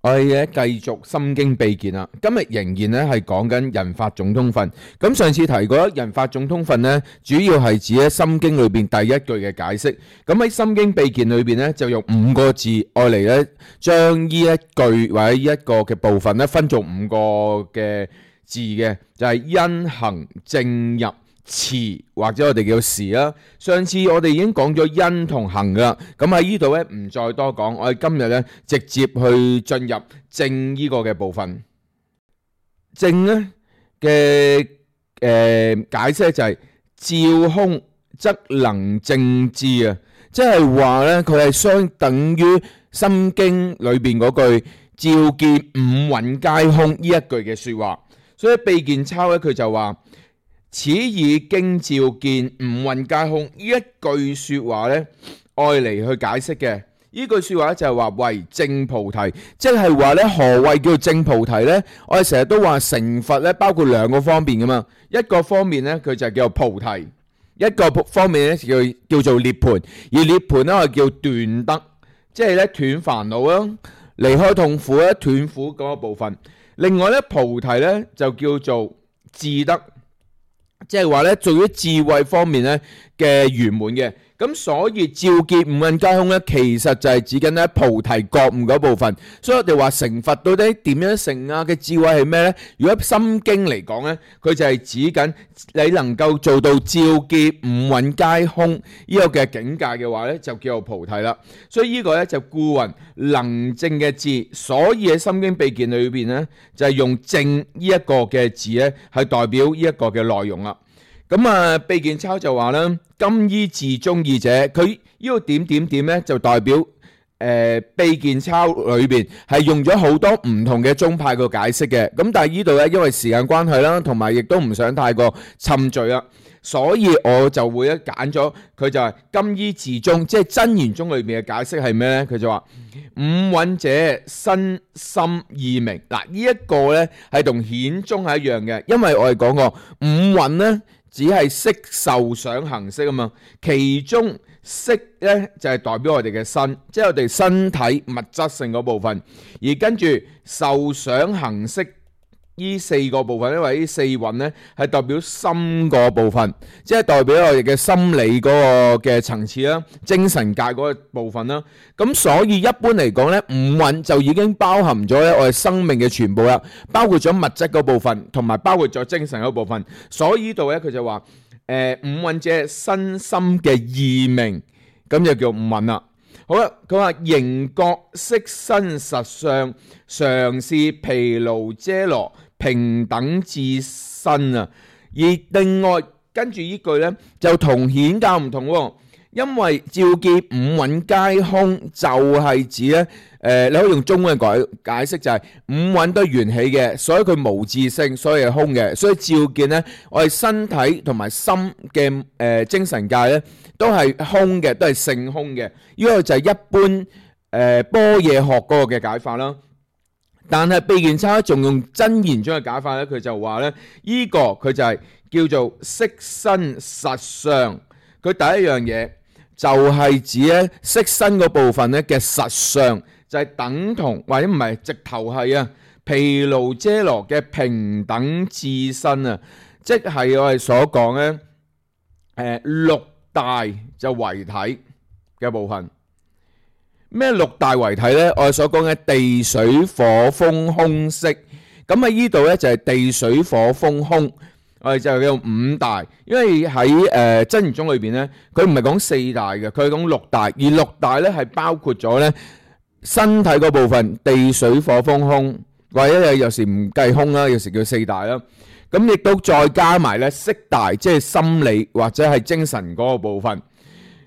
我哋咧繼續心經秘鍵啦，今日仍然咧係講緊人法總統訓。咁上次提過人法總統訓咧，主要係指喺心經裏邊第一句嘅解釋。咁喺心經秘鍵裏邊咧，就用5個字愛嚟咧，將呢一句或者呢一個嘅部分咧，分做5個嘅字嘅，就係因行正入持，或者我哋叫時啦。上次我哋已經講咗因同行噶啦，咁喺呢度咧唔再多講，我哋今日咧直接去進入正呢個嘅部分。正咧嘅解釋就係照空則能正知啊，即係話咧佢係相等於心經裏邊嗰句照見五蘊皆空呢一句嘅說話。所以秘鍵抄咧佢就話，此以經照見五蘊皆空呢一句說話咧，愛嚟去解釋嘅。呢句說話就係話為正菩提，即係話咧何謂叫正菩提呢？我哋成日都話成佛咧包括2個方面噶嘛，一個方面咧佢就叫做菩提，一個方面咧叫做涅槃。而涅槃咧我哋叫斷得，即係咧斷煩惱啦，離開痛苦咧，斷苦嗰個部分。另外咧菩提咧就叫做智得，即係話咧做於智慧方面咧嘅圓滿嘅。咁所以照見五蘊皆空咧，其實就係指緊咧菩提覺悟嗰部分。所以我哋話成佛到底點樣成啊嘅智慧係咩呢？如果心經嚟講咧，佢就係指緊你能夠做到照見五蘊皆空呢個嘅境界嘅話咧，就叫做菩提啦。所以呢個咧就故云能正嘅智，所以喺心經秘鍵裏邊咧就係用正呢一個嘅字咧係代表呢一個嘅內容啦。咁啊，秘鍵抄就話啦，今依自宗義者，佢呢個點點點咧就代表秘鍵抄裏邊係用咗好多唔同嘅宗派個解釋嘅。咁但係呢度咧因為時間關係啦，同埋亦都唔想太過侵罪啦，所以我就會咧揀咗佢就係今依自宗，即係真言宗裏面嘅解釋係咩咧？佢就話五蘊者身心意明。嗱，呢一個咧係同顯宗係一樣嘅，因為我哋講過五蘊咧只係色受想行識啊嘛，其中色咧就係代表我哋嘅身，即係我哋身體物質性嗰部分，而跟住受想行識呢4個部分，因為呢4蘊咧係代表心個部分，即係代表我哋嘅心理嗰個嘅層次啦，精神界嗰個部分啦。咁所以一般嚟講咧，五蘊就已經包含咗咧我哋生命嘅全部啦，包括咗物質嗰部分，同埋包括咗精神嗰部分。所以呢度咧佢就話五蘊者身心嘅意明，咁就叫五蘊啦。好啦，佢話形覺色身實相，常是毗盧遮羅平等自身啊。而另外跟住呢句呢，就同顯教唔同喎，因為照見五蘊皆空就係指呢，你可以用中文嘅解釋就係五蘊都係緣起嘅，所以佢無自性，所以係空嘅。所以照見呢，我哋身體同埋心嘅精神界呢，都係空嘅，都係性空嘅。呢個就係一般般若學嗰個嘅解法啦。但係秘鍵抄仲用真言宗嘅解法咧，佢就話咧，呢個佢就係叫做色身實相。佢第一樣嘢就係指咧色身嗰部分咧嘅實相，就係等同或者唔係直頭係啊毗盧遮羅嘅平等自身啊，即係我哋所講咧六大就為體嘅部分。咩六大為體呢？我哋所講嘅地水火風空色，咁喺呢度呢，就係地水火風空，我哋就叫五大。因為喺真言宗裏邊呢，佢唔係講4大嘅，佢係講六大，而六大呢係包括咗呢身體嗰部分，地水火風空，或者有時唔計空啦，有時叫4大啦。咁亦都再加埋呢色大，即係心理或者係精神嗰個部分。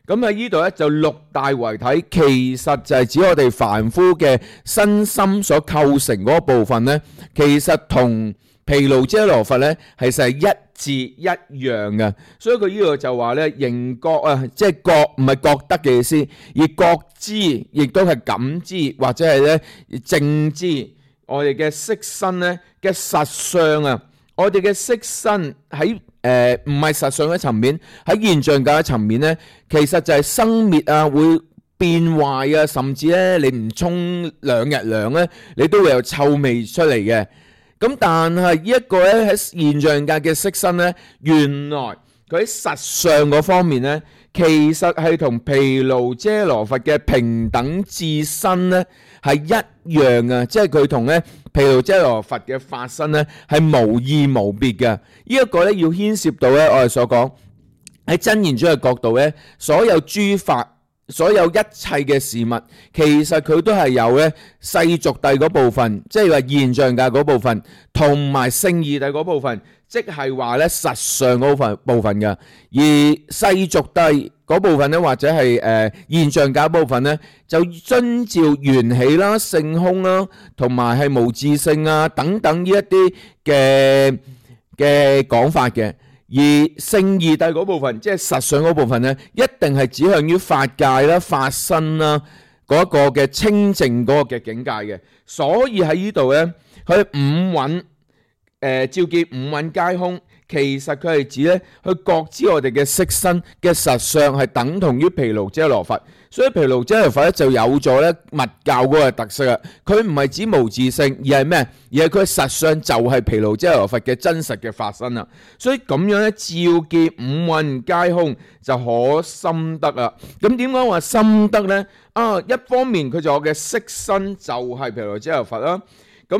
咁喺呢度咧就六大為體，其實就係指我哋凡夫嘅身心所構成嗰部分咧，其實同毗盧遮羅佛咧係實係一致一樣嘅。所以佢呢度就話咧，形覺啊，即係覺唔係覺得嘅意思，而覺知亦都係感知或者係咧正知我哋嘅色身咧嘅實相啊。我哋嘅色身喺唔係實相嘅層面，喺現象界嘅層面咧，其實就係生滅啊，會變壞啊，甚至咧你唔沖2日涼咧，你都會有臭味出嚟嘅。咁但係呢一個咧喺現象界嘅色身咧，原來佢喺實相嗰方面咧，其實係同毗盧遮羅佛嘅平等至身咧係一樣啊！即係佢同咧毗盧遮羅佛嘅法身咧係無異無別嘅。呢一個咧要牽涉到咧我哋所講喺真言宗嘅角度咧，所有諸法。所有一切嘅事物，其實佢都係有咧世俗諦嗰部分，即係話現象界嗰部分，同埋聖義諦嗰部分，即係話咧實相嗰部分嘅。而世俗諦嗰部分咧，或者係現象界部分咧，就遵照緣起啦、性空啦，同埋係無自性啊等等呢一啲嘅講法嘅。而聖義諦嗰部分，即係實相嗰部分咧，一定係指向於法界啦、法身啦嗰個嘅清淨嗰個嘅境界嘅。所以喺呢度咧，佢五蘊照見五蘊皆空，其實佢係指咧去覺知我哋嘅色身嘅實相係等同於毗盧遮羅佛。所以毗盧遮羅佛咧就有咗咧密教嗰個特色啊！佢唔係指無自性，而係咩？而係佢實相就係毗盧遮羅佛嘅真實嘅法身啊！所以咁樣咧，照見五蘊皆空就可心得啊！咁點解話心得咧？一方面佢就我嘅色身就係毗盧遮羅佛啦。咁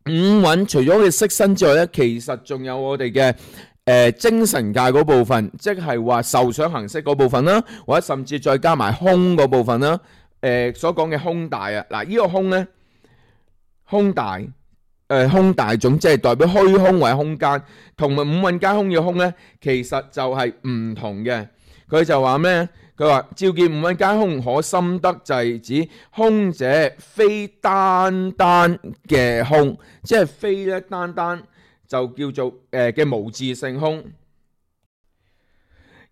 五蘊除咗佢色身之外咧，其實仲有我哋嘅精神界嗰部分，即係話受想行識嗰部分啦，或者甚至再加埋空嗰部分啦。所講嘅空大啊，嗱呢個空咧，空大空大種，即係代表虛空或者空間，同埋五蘊皆空嘅空咧，其實就係唔同嘅。佢就話咩？佢話照見五蘊皆空可心得，就係指空者非單單嘅空，即係非咧單單。就叫做嘅無自性空，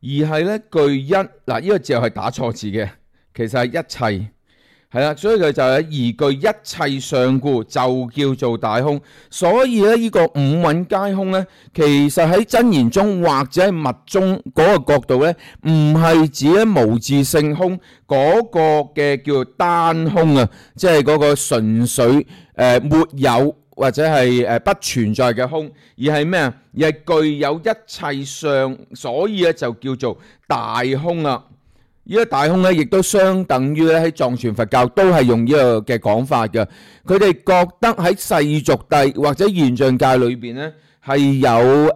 而係咧具一嗱，呢個字係打錯字嘅，其實係一切係啦，所以佢就係而具一切相故，就叫做大空。所以咧呢個五蘊皆空咧，其實喺真言中或者係密宗嗰個角度咧，唔係指咧無自性空嗰個嘅叫做單空啊，即係嗰個純粹沒有。或者係不存在嘅空，而係咩啊？而係具有一切相，所以咧就叫做大空啦。呢個大空咧，亦都相等於咧喺藏傳佛教都係用呢個嘅講法嘅。佢哋覺得喺世俗諦或者現象界裏邊咧，係有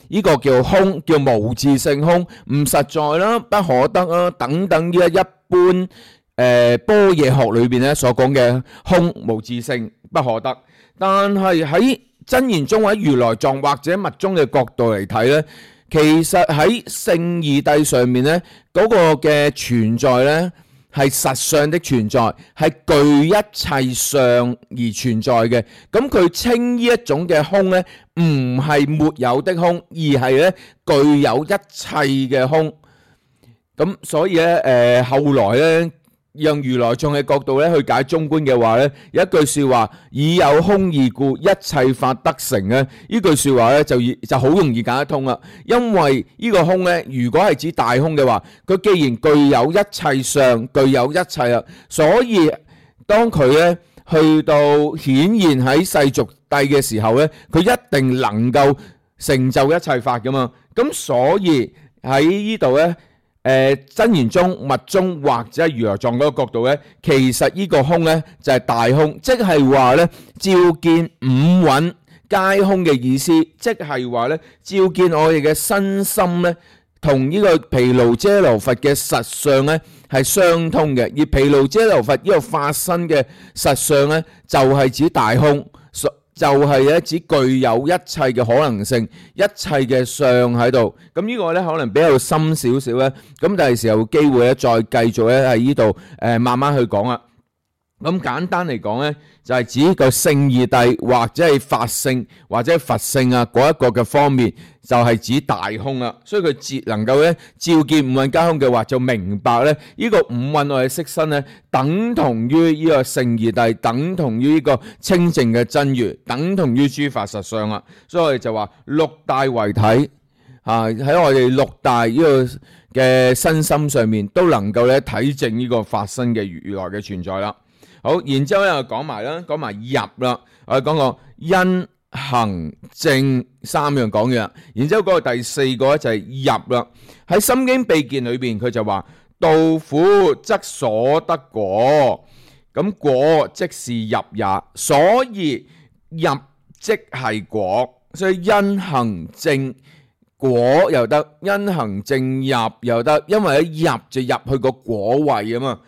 呢個叫空，叫無自性空，唔實在啦，不可得啦，等等呢一般般若學裏邊咧所講嘅空無自性不可得。但係喺真言宗或者如來藏或者密宗嘅角度嚟睇咧，其實喺聖義諦上面咧，嗰個嘅存在咧係實相的存在，係具一切相而存在嘅。咁佢稱呢一種嘅空咧，唔係沒有的空，而係咧具有一切嘅空。咁所以咧，後來咧，用如來藏嘅角度咧去解中觀嘅話咧，有一句說話，以有空義故，一切法得成咧。呢句說話咧就好容易解得通啦。因為呢個空咧，如果係指大空嘅話，佢既然具有一切相，具有一切啦，所以當佢咧去到顯現喺世俗諦嘅時候咧，佢一定能夠成就一切法噶嘛。咁所以喺呢度咧。真言宗、密宗或者如來藏嗰個角度咧，其實呢個空咧就係大空，即係話咧照見五蘊皆空嘅意思，即係話咧照見我哋嘅身心咧同呢個毗盧遮羅佛嘅實相咧係相通嘅，而毗盧遮羅佛呢個法身嘅實相咧就係指大空。就係咧，只具有一切嘅可能性，一切嘅相喺度。咁呢個咧可能比較深少少咧。咁第時候有機會咧，再繼續咧喺呢度慢慢去講啦。咁簡單嚟講咧，就係指個聖義諦或者係法性或者佛性啊嗰一個嘅方面，就係指大空啦。所以佢能夠咧照見五蘊皆空嘅話，就明白咧呢個五蘊我哋色身咧等同於呢個聖義諦，等同於呢個清淨嘅真如，等同於諸法實相啦。所以我哋就話六大為體喺我哋六大呢個嘅身心上面都能夠咧體證呢個發生嘅如來嘅存在啦。好，然之後咧講埋入啦，我哋講個因行證三樣講嘅，然之後嗰個第四個咧就係入啦。喺《心經秘見》裏邊佢就話道苦則所得果，咁果即是入也，所以入即係果，所以因行證果又得，因行證入又得，因為一入就入去個果位啊嘛，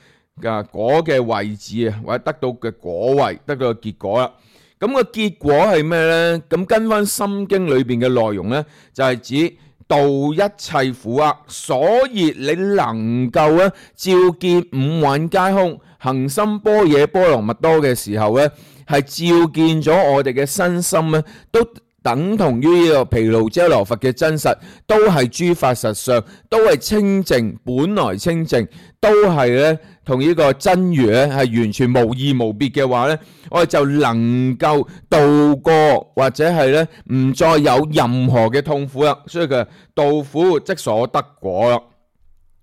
果嘅位置啊，或者得到嘅果位，得到嘅結果啦。咁個結果係咩呢？咁跟翻《心經》裏邊嘅內容呢，就係指度一切苦厄，所以你能夠咧照見五蘊皆空，行深般若波羅蜜多嘅時候呢，係照見咗我哋嘅身心呢，都等同於呢個毗盧遮那佛嘅真實，都係諸法實相，都係清淨，本來清淨，都係咧同呢個真如咧係完全無異無別嘅話咧，我哋就能夠度過或者係咧唔再有任何嘅痛苦啦。所以佢度苦即所得果啦。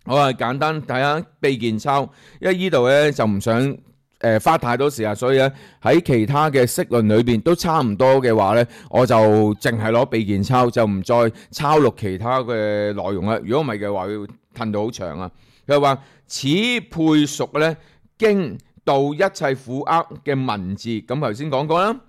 我係簡單睇下秘見抄，因為呢度咧就唔想花太多時間，所以咧喺其他嘅釋論裏邊都差唔多嘅話咧，我就淨係攞秘見抄，就唔再抄錄其他嘅內容啦。如果唔係嘅話，會褪到好長啊。佢話此配屬咧經度一切苦厄嘅文字，咁頭先講過啦。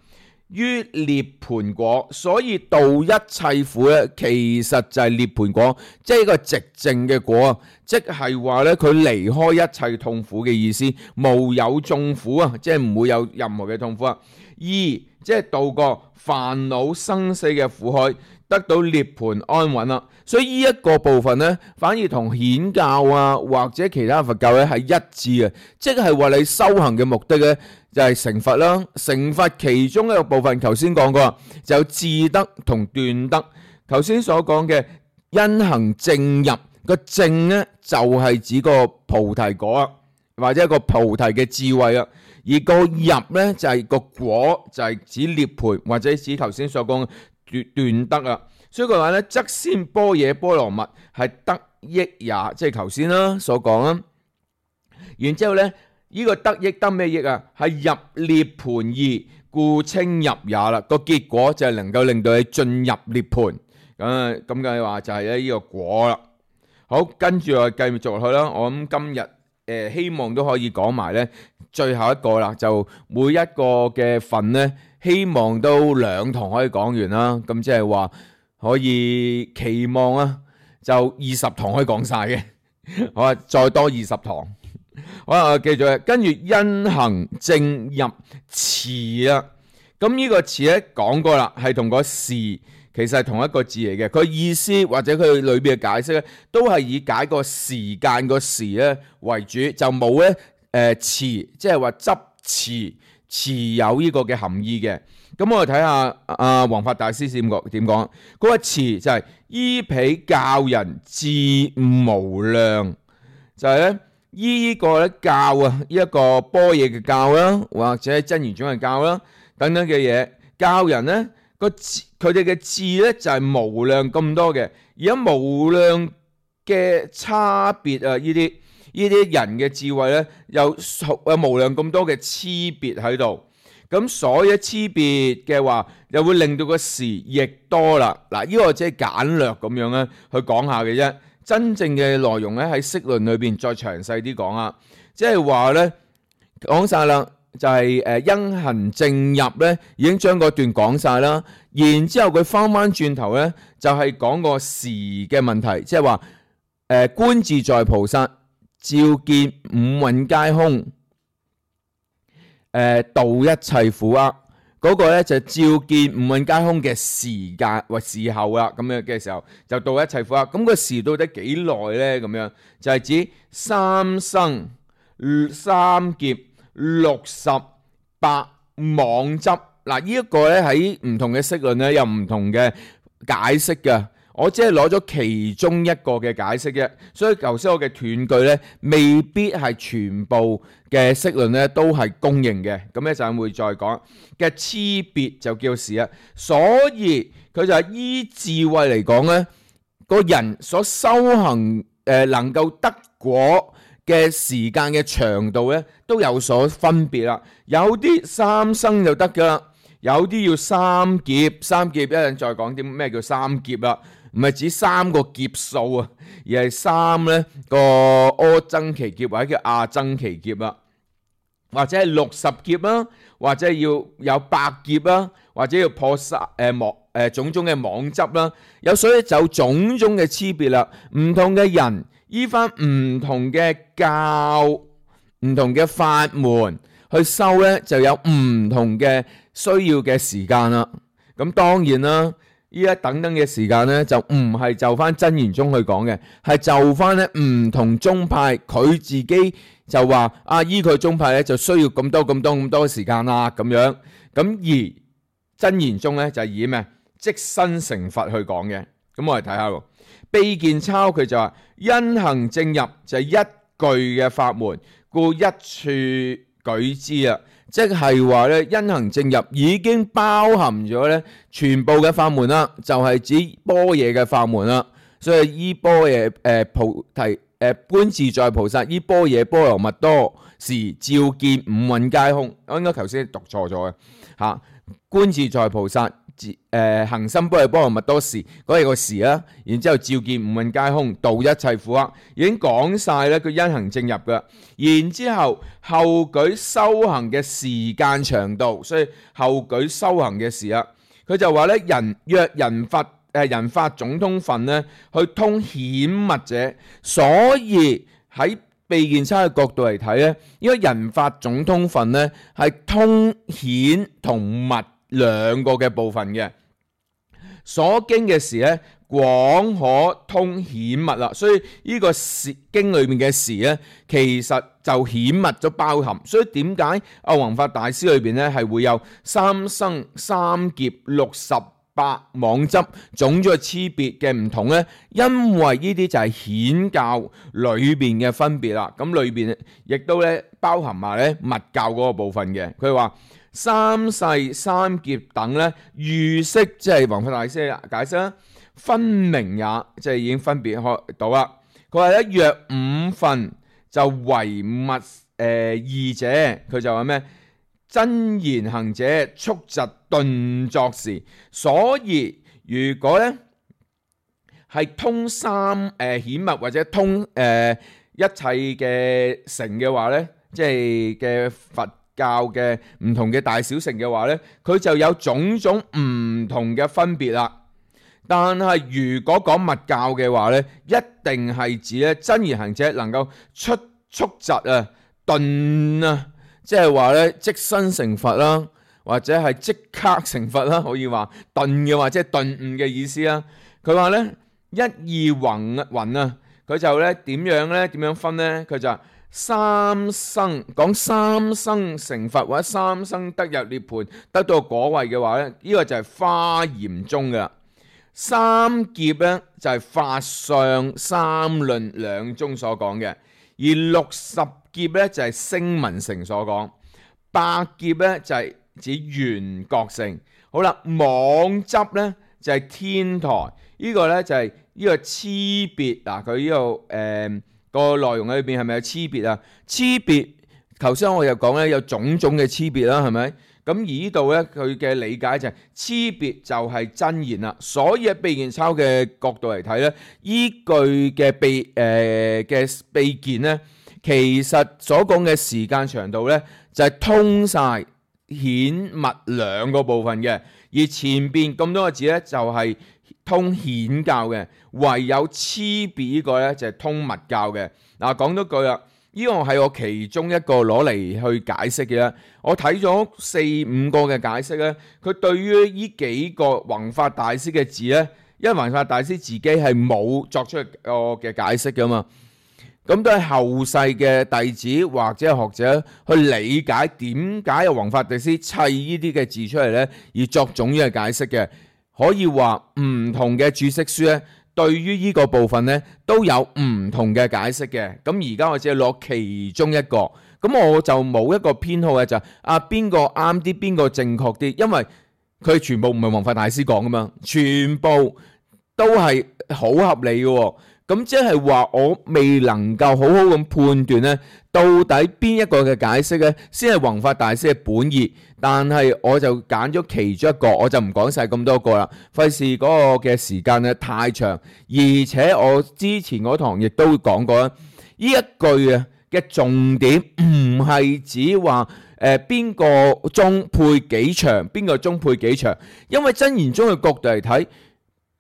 於涅槃果，所以度一切苦咧，其實就係涅槃果，即係一個寂靜嘅果，即係話咧佢離開一切痛苦嘅意思，無有眾苦啊，即係唔會有任何嘅痛苦啊。二即係度過煩惱生死嘅苦海，得到涅槃安穩啦。所以呢一個部分呢，反而同顯教啊或者其他佛教咧係一致嘅，即係話你修行嘅目的咧就係成佛啦。成佛其中一個部分，頭先講過，就有智德同斷德。頭先所講嘅因行證入，個證呢就係指個菩提果啊，或者一個菩提嘅智慧啊。而個入呢就係個果，就係指涅槃或者指頭先所講嘅斷德啊。所以佢話咧，則先般若波羅蜜係得益也，即係頭先啦所講啦。然之後咧，呢個得益得咩益啊？係入涅槃義，故稱入也啦。個結果就係能夠令到你進入涅槃。咁嘅話就係咧呢個果啦。好，跟住我繼續落去啦。我諗今日希望都可以講埋咧最後一個啦，就每一個嘅份咧，希望都2堂可以講完啦。咁即係話。可以期望啊，就20堂可以講晒嘅，好啊，再多20堂。好啊，記住，跟住因行證入詞啊，咁呢個詞咧講過啦，係同個時其實係同一個字嚟嘅，佢意思或者佢裏邊嘅解釋咧，都係以解個時間個時咧為主，就冇咧詞，即係話執持有呢個嘅含義嘅。咁我哋睇下阿弘法大師點講？嗰個詞就係依彼教人智無量，就係咧依呢個咧教啊，呢一個般若嘅教啦，或者真言宗嘅教啦等等嘅嘢，教人咧佢哋嘅智咧就係無量咁多嘅，而家無量嘅差別啊，呢啲人嘅智慧咧有無量咁多嘅差別喺度。咁所以差別嘅話，又會令到個時亦多啦。嗱，呢個即係簡略咁樣咧去講下嘅啫。真正嘅內容咧喺釋論裏邊再詳細啲講啊。即係話咧講晒啦，就係因行證入咧已經將嗰段講晒啦。然之後佢翻轉頭咧就係講個時嘅問題，即係話觀自在菩薩照見五蘊皆空。度一切苦厄嗰個咧就照見五蘊皆空嘅時間或時候啦，咁樣嘅時候就度一切苦厄。咁個時到底幾耐咧？咁樣就係指3生、3劫、60、百妄執。嗱，呢一個咧喺唔同嘅釋論咧有唔同嘅解釋嘅。我只係攞咗其中一個嘅解釋啫，所以頭先我嘅斷句咧，未必係全部嘅釋論咧都係公認嘅。咁一陣會再講嘅差別就叫時啊，所以佢就係依智慧嚟講咧，個人所修行能夠得果嘅時間嘅長度咧，都有所分別啦。有啲3生就得噶啦，有啲要3劫。3劫一陣再講啲咩叫3劫啦，唔係指3個劫數啊，而係3咧個阿僧祇劫或者叫阿僧祇劫啦，或者係60劫啦，或者要有100劫啦，或者要破種種嘅妄執啦，所以就種種嘅差別啦。唔同嘅人依翻唔同嘅教、唔同嘅法門去修咧，就有唔同嘅需要嘅時間啦。咁當然啦，依一等等嘅時間咧，就唔係就翻真言宗去講嘅，係就翻咧唔同宗派佢自己就話依佢宗派咧就需要咁多時間啦咁樣。咁而真言宗咧就係以咩即身成佛去講嘅。咁我哋睇下喎，秘見鈔佢就話因行正入就係一句嘅法門，故一處舉之啊，即係話咧因行正入已經包含咗咧全部嘅法門啦，就係指般若嘅法門啦。所以依般若菩提觀自在菩薩依般若波羅蜜多時照見五蘊皆空，我應該頭先讀錯咗嘅嚇。觀自在菩薩行深般若波羅蜜多時，嗰係個時啦。然之後照見五蘊皆空，度一切苦厄，已經講晒咧佢因行正入嘅。然之後後舉修行嘅時間長度，所以後舉修行嘅時啊，佢就話咧若人法總通分咧，去通顯密者，所以喺秘見鈔嘅角度嚟睇咧，因為人法總通分咧係通顯同密兩個嘅部分嘅。所經嘅時咧廣可通顯密啦，所以呢個經裏面嘅時咧，其實就顯密咗包含。所以點解阿弘法大師裏邊咧係會有3生、3劫、68妄執種種嘅差別嘅唔同呢？因為呢啲就係顯教裏邊嘅分別啦。咁裏邊亦都咧包含埋咧密教嗰個部分嘅。佢話三世三劫等咧喻釋，即係弘法大師嘅解釋啦，分明也，即係已經分別開到啦。佢話咧若5分就為密義者，佢就話咩？真言行者速疾頓作時，所以如果咧係通顯密或者通一切嘅乘嘅話咧，即係嘅佛教嘅唔同嘅大小乘嘅話咧，佢就有種種唔同嘅分別啦。但係如果講密教嘅話咧，一定係指咧真言行者能夠速疾頓啊。即係話咧，即身成佛啦，或者係即刻成佛啦，可以話頓嘅話，即係頓悟嘅意思啦。佢話咧一意云啊，佢就咧點樣咧？點樣分咧？佢就話3生講3生成佛或者3生得入涅槃得到果位嘅話咧，呢個就係華嚴宗嘅。3劫咧就係法相三論兩宗所講嘅，而60劫咧就係聲聞乘所講，100劫咧就係指緣覺乘。好啦，妄執咧就係天台，呢個咧就係呢個差別嗱。佢呢度個內容裏邊係咪有差別啊？差別頭先我又講咧有種種嘅差別啦，係咪？咁而呢度咧佢嘅理解就係差別就係真言啦。所以喺秘見鈔嘅角度嚟睇咧，依據嘅秘見咧，其實所講嘅時間長度咧，就係通晒顯密兩個部分嘅，而前邊咁多個字咧就係通顯教嘅，唯有差別呢個咧就係通密教嘅。嗱，講多句啦，呢個係我其中一個攞嚟去解釋嘅啦。我睇咗4-5個嘅解釋咧，佢對於呢幾個弘法大師嘅字咧，因為弘法大師自己係冇作出個嘅解釋噶嘛。咁都係後世嘅弟子或者係學者去理解點解有弘法大師砌呢啲嘅字出嚟呢，而作種嘅解釋嘅。可以話唔同嘅注釋書咧，對於呢個部分呢都有唔同嘅解釋嘅。咁而家我只係攞其中一個，咁我就冇一個偏好嘅，就邊個啱啲，邊個正確啲，因為佢全部唔係弘法大師講噶嘛，全部都係好合理嘅喎。咁即係話我未能夠好好咁判斷咧，到底邊一個嘅解釋咧先係弘法大師嘅本意。但係我就揀咗其中一個，我就唔講晒咁多個啦，費事嗰個嘅時間咧太長。而且我之前嗰堂亦都講過啦，呢一句啊嘅重點唔係指話邊個鐘配幾長，邊個鐘配幾長，因為真言宗嘅角度嚟睇，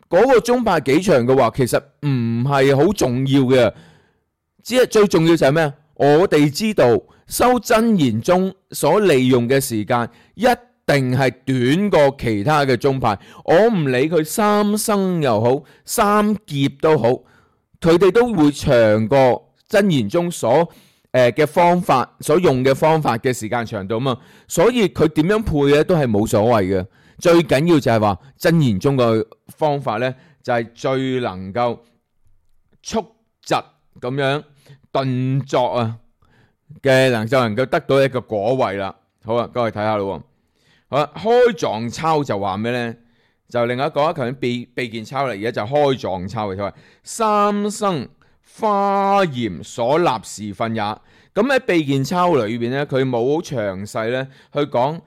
嗰個鐘派幾長嘅話，其實唔係好重要嘅，只係最重要就係咩？我哋知道修真言宗所利用嘅時間一定係短過其他嘅宗派。我唔理佢三生又好，三劫都好，佢哋都會長過真言宗所嘅方法，所用嘅方法嘅時間長度嘛。所以佢點樣配咧都係冇所謂嘅。最緊要就係話真言宗嘅方法咧，就係最能夠速疾咁樣頓作啊嘅，就能夠得到一個果位啦。好啊，各位睇下咯。好啦，開藏抄就話咩咧？就另外一個，頭先秘見抄嚟，而家就開藏抄嘅，佢話三生華嚴所立時分也。咁喺秘見抄裏邊咧，佢冇好詳細咧去講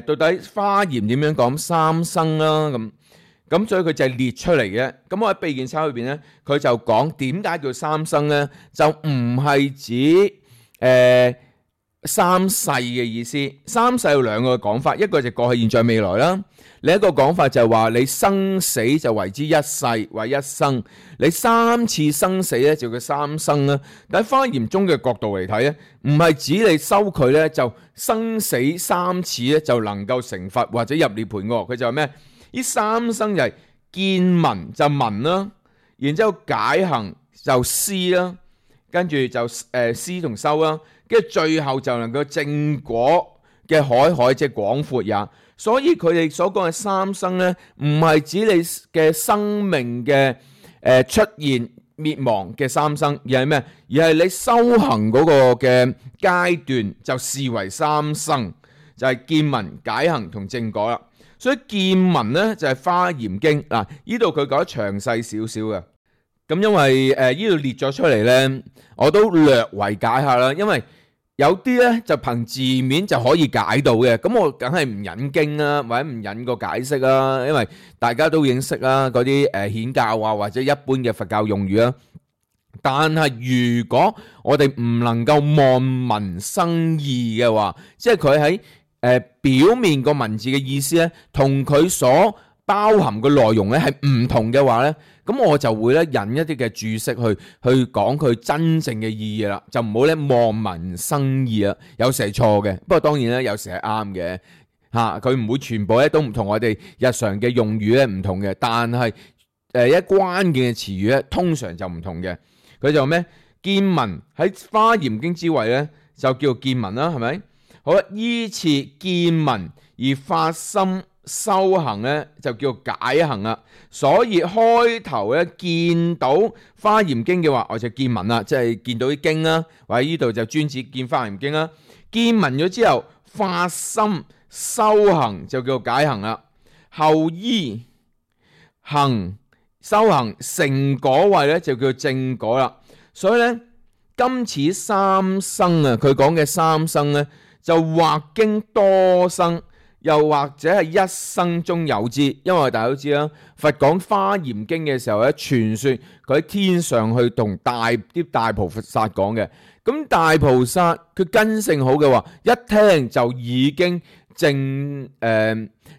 到底華嚴點樣講三生啦，咁所以佢就係列出嚟嘅。咁我喺秘見抄裏邊咧，佢就講點解叫三生咧，就唔係指三世嘅意思。三世有兩個講法，一個就過去、現在、未來啦。另一個講法就係話你生死就為之一世或一生，你三次生死咧就叫三生啦。但喺華嚴宗嘅角度嚟睇咧，唔係指你修佢咧就生死三次咧就能夠成佛或者入涅槃喎。佢就係咩？呢三生就係見聞就聞啦，然之後解行就思啦，跟住就思同修啦，跟住最後就能夠證果嘅海即係廣闊也。所以佢哋所講嘅三生咧，唔係指你嘅生命嘅出現滅亡嘅三生，而係咩？而係你修行嗰個嘅階段就視為三生，就係見聞解行同證果啦。所以見聞咧就係華嚴經嗱，呢度佢講得詳細少少嘅。咁因為呢度列咗出嚟咧，我都略為解下啦。因為有啲咧就憑字面就可以解到嘅，咁我梗係唔引經啦，或者唔引個解釋啦，因為大家都認識啦，嗰啲顯教啊或者一般嘅佛教用語啦。但係如果我哋唔能夠望文生義嘅話，即係佢喺表面個文字嘅意思咧，同佢所包含嘅內容咧係唔同嘅話咧，咁我就會咧引一啲嘅注釋去講佢真正嘅意義啦，就唔好咧望文生義啦。有時係錯嘅，不過當然咧有時係啱嘅嚇。佢唔會全部咧都唔同我哋日常嘅用語咧唔同嘅，但係一關鍵嘅詞語咧通常就唔同嘅。佢就咩？見聞喺華嚴經之位咧就叫見聞啦，係咪？好啦，依次見聞而發心修行咧就叫解行啦。所以開頭咧見到華嚴經嘅話，我就見聞啦，即係見到啲經啦，或者呢度就專指見華嚴經啦。見聞咗之後發心修行就叫解行啦。後依行修行成果位咧就叫證果啦。所以咧今此三生啊，佢講嘅三生咧就或經多生，又或者係一生中有之。因為大家都知啦，佛講華嚴經嘅時候咧，傳說佢喺天上去同啲大菩薩講嘅。咁大菩薩佢根性好嘅話，一聽就已經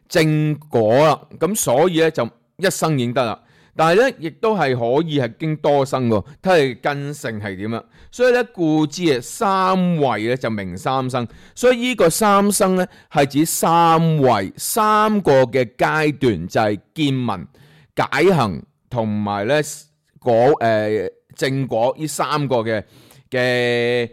證果啦。咁所以咧就一生已經得啦。但係咧，亦都係可以係經多生喎，睇佢根性係點啦。所以咧，故知啊，三位咧就名三生。所以呢個三生咧係指三位三個嘅階段，就係見聞解行同埋咧證果呢三個嘅位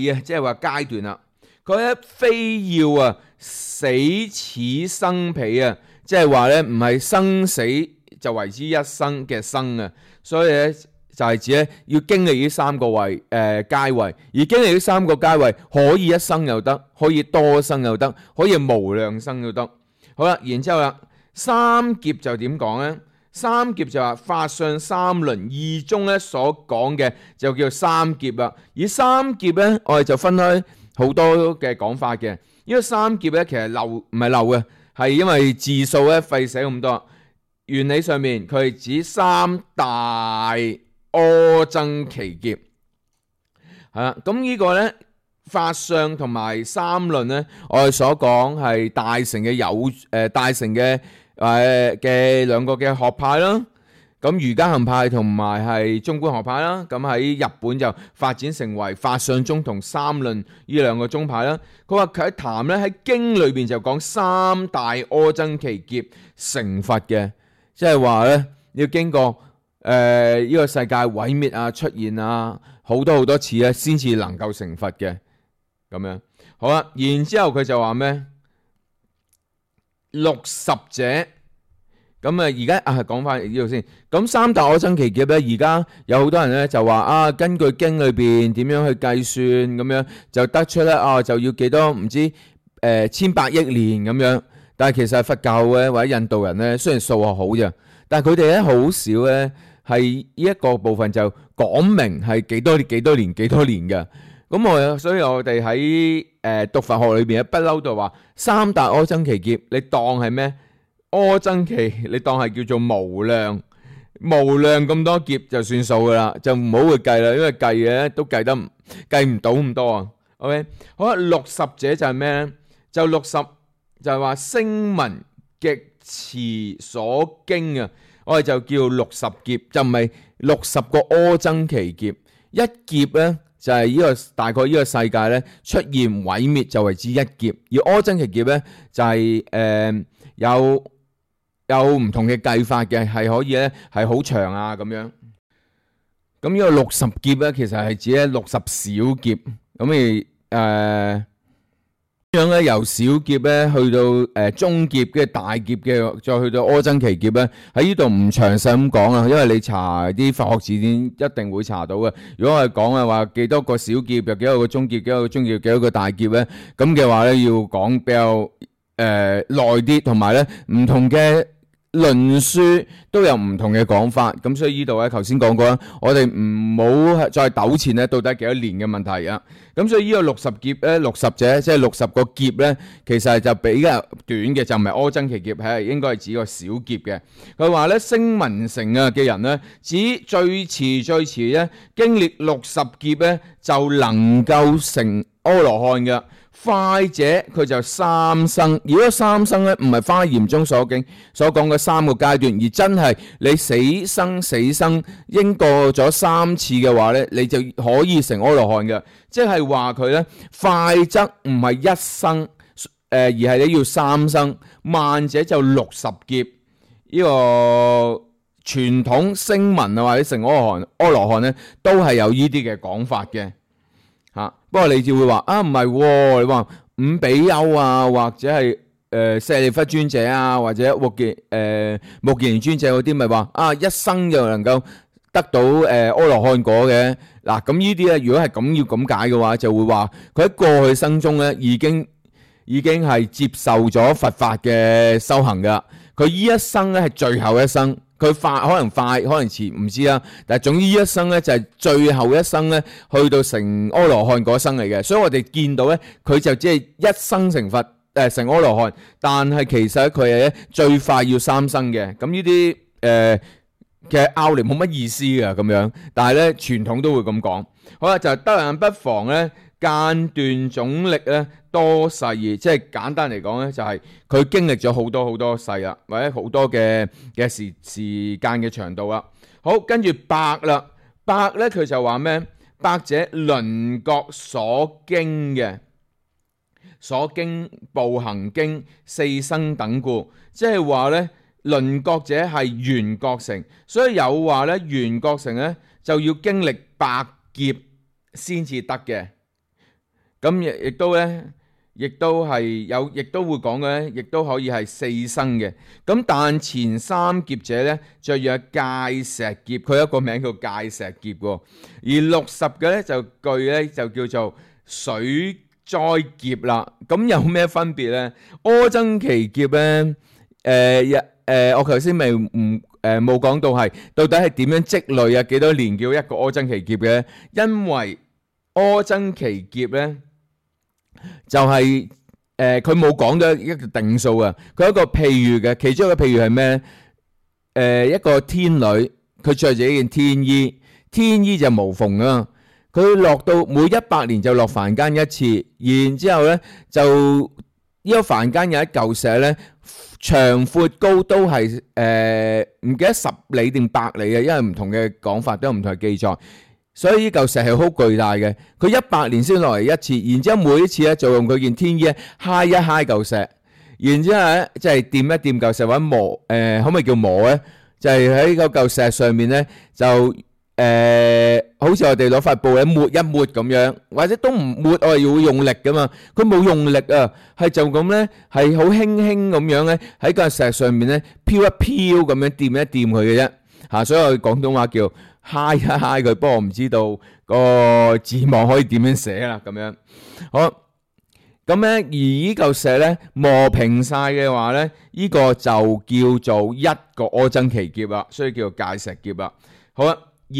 啊，即係話階段啦。佢咧非要啊死此生彼啊，即係話咧唔係生死就為之一生嘅生啊，所以咧就係指咧要經歷呢三個位階位，而經歷呢三個階位可以一生又得，可以多生又得，可以無量生又得。好啦，然之後啦，三劫就點講咧？三劫就話法上三輪，二中咧所講嘅就叫三劫啦。而三劫咧，我哋就分開好多嘅講法嘅。因為三劫咧其實漏唔係漏嘅，係因為字數咧費寫咁多。原理上面佢係指三大阿僧祇劫，係啦。咁呢個咧法相同埋三論咧，我哋所講係大乘嘅大乘嘅嘅兩個嘅學派啦。咁瑜伽行派同埋係中觀學派啦。咁喺日本就發展成為法相宗同三論呢兩個宗派啦。佢話佢喺談咧喺經裏邊就講三大阿僧祇劫成佛嘅，即係話咧要經過呢個世界毀滅啊、出現啊好多次咧，先至能夠成佛嘅咁樣。好啦，然之後佢就話咩60者。咁而家講翻呢度先。咁三大阿僧祇劫咧，而家有好多人咧就話根據經裏邊點樣去計算咁樣，就得出咧就要幾多唔知千百億年咁樣。但係其實佛教嘅或者印度人咧，雖然數學好啫，但係佢哋咧好少咧係呢一個部分就講明係幾多年嘅。咁所以我哋喺讀佛學裏邊不嬲就話三大阿僧祇劫，你當係咩？阿僧祇你當係叫做無量咁多劫就算數噶啦，就唔好去計啦，因為計嘅都計唔到咁多啊。OK， 好啦，60者就係咩咧？就60就係話聲聞極持所經啊，我哋就叫60劫，就唔係60個阿僧祇劫。一劫咧就係呢個大概呢個世界咧出現毀滅就為之一劫，而阿僧祇劫咧就係有唔同嘅計法嘅，係可以咧係好長啊咁樣。咁呢個60劫咧，其實係指咧60小劫。咁咁樣咧由小劫咧去到中劫嘅大劫嘅，再去到阿僧祇劫咧，喺呢度唔詳細咁講啊，因為你查啲佛學字典一定會查到嘅。如果我哋講嘅話幾多個小劫，又幾多個中劫，幾多個中劫，幾多個大劫咧，咁嘅話咧要講比較耐啲，同埋咧唔同嘅論書都有唔同嘅講法，咁所以呢度咧，頭先講過啦，我哋唔好再糾纏咧，到底幾多年嘅問題啊。咁所以呢個60劫咧，60者即係60個劫咧，其實就比較短嘅，就唔係阿僧祇劫，係應該係指個小劫嘅。佢話咧，聲聞乘嘅人咧，指最遲咧，經歷60劫咧，就能夠成阿羅漢嘅。快者佢就三生，如果三生咧唔係華嚴中所講嘅3個階段，而真係你死生應過咗3次嘅話咧，你就可以成阿羅漢嘅。即係話佢咧快則唔係一生，而係你要3生，慢者就60劫。呢個傳統聲聞啊或者成阿羅漢咧，都係有呢啲嘅講法嘅。不過你就會話唔係，你話五比丘啊，或者係舍利弗尊者啊，或者目犍連尊者嗰啲，咪話一生就能夠得到阿羅漢果嘅。嗱，咁呢啲咧，如果係咁要咁解嘅話，就會話佢喺過去生中咧已經係接受咗佛法嘅修行噶。佢呢一生咧係最後一生。佢可能快，可能遲，唔知啦。但係總之一生咧就係最後一生咧，去到成阿羅漢嗰生嚟嘅。所以我哋見到咧，佢就只係一生成佛，成阿羅漢。但係其實佢係最快要3生嘅。咁呢啲其實拗嚟冇乜意思㗎咁樣。但係咧傳統都會咁講。好啦，就係得人不妨咧間斷總力咧多世義，即係簡單嚟講咧，就係佢經歷咗好多世啦，或者好多嘅時間嘅長度啦。好，跟住百啦，百咧佢就話咩？百者輪覺所經嘅，所經步行經4生等故，即係話咧輪覺者係緣覺乘，所以有話咧緣覺乘咧就要經歷百劫先至得嘅。咁亦都係有，亦都會講嘅，亦都可以係4生嘅。咁但前3劫者咧，就有界石劫，佢有一個名叫界石劫喎。而60嘅咧就句咧就叫做水災劫啦。咁有咩分別咧？阿僧祇劫咧我頭先未冇講到係到底係點樣積累啊？幾多年叫一個阿僧祇劫嘅？因為阿僧祇劫咧就係佢冇講咗一個定數啊，佢有一個譬喻嘅，其中一個譬喻係咩？一個天女，佢着住一件天衣，天衣就無縫啊。佢落到每100年就落凡間一次，然之後咧就呢個凡間有一嚿石咧，長闊高都係唔記得10里定100里嘅，因為唔同嘅講法都有唔同嘅記載，所以呢嚿石係好巨大嘅。佢100年先落嚟一次，然之後每一次咧就用佢件天衣揩一揩嚿石，然之後咧即係掂一掂嚿石或者磨可唔可以叫磨咧？就係喺嗰嚿石上面咧就好似我哋攞塊布咧抹一抹咁樣，或者都唔抹，我係要用力噶嘛。佢冇用力啊，係就咁咧，係好輕輕咁樣咧喺個石上面咧飄一飄咁樣掂一掂佢嘅啫嚇。所以我廣東話叫揩一揩佢，不過我唔知道個字幕可以點樣寫啦咁樣。好。咁咧，而呢嚿石咧磨平晒嘅話咧，呢個就叫做一個阿僧祇劫啦，所以叫做界石劫啦。好啦，而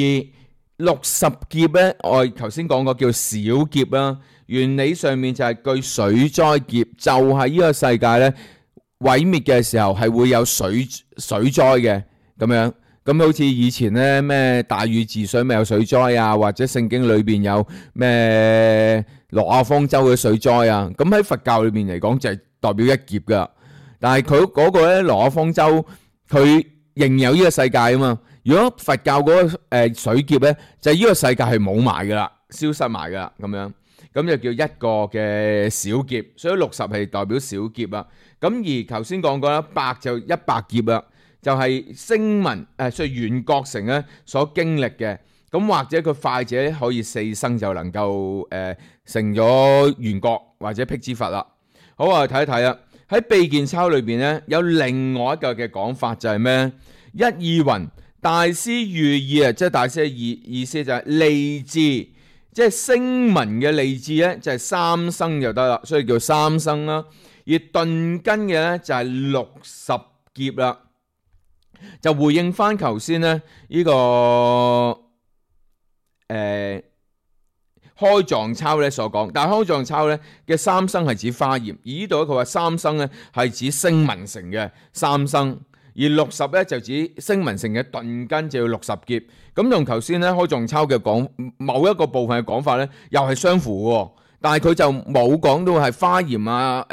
60劫咧，我頭先講過叫小劫啦。原理上面就係據水災劫，就係呢個世界咧毀滅嘅時候係會有水災嘅咁樣。咁好似以前咧咩大禹治水咪有水災啊，或者聖經裏邊有咩挪亞方舟嘅水災啊，咁喺佛教裏面嚟講就係代表一劫噶。但係佢嗰個咧挪亞方舟佢仍有呢個世界啊嘛。如果佛教嗰個水劫咧，就係呢個世界係冇埋噶啦，消失埋噶啦咁樣，咁就叫一個嘅小劫。所以60係代表小劫啦。咁而頭先講過啦，百就100劫啦。就係聲聞所以緣覺乘咧所經歷嘅，咁或者佢快者可以4生就能夠成咗緣覺或者辟支佛啦。好啊，睇一睇啦。喺秘見鈔裏邊咧有另外一個嘅講法就係咩？一意云大師寓意啊，即係大師嘅意思就係利智，即係聲聞嘅利智咧就係3生就得啦，所以叫3生啦。而頓根嘅咧就係60劫啦。就回應翻頭先咧呢個開藏鈔咧所講，但係開藏鈔咧嘅3生係指華嚴，而呢度咧佢話3生咧係指聲聞乘嘅3生，而60咧就指聲聞乘嘅頓根就要60劫。咁同頭先咧開藏鈔嘅講某一個部分嘅講法咧又係相符嘅，但係佢就冇講到係華嚴啊、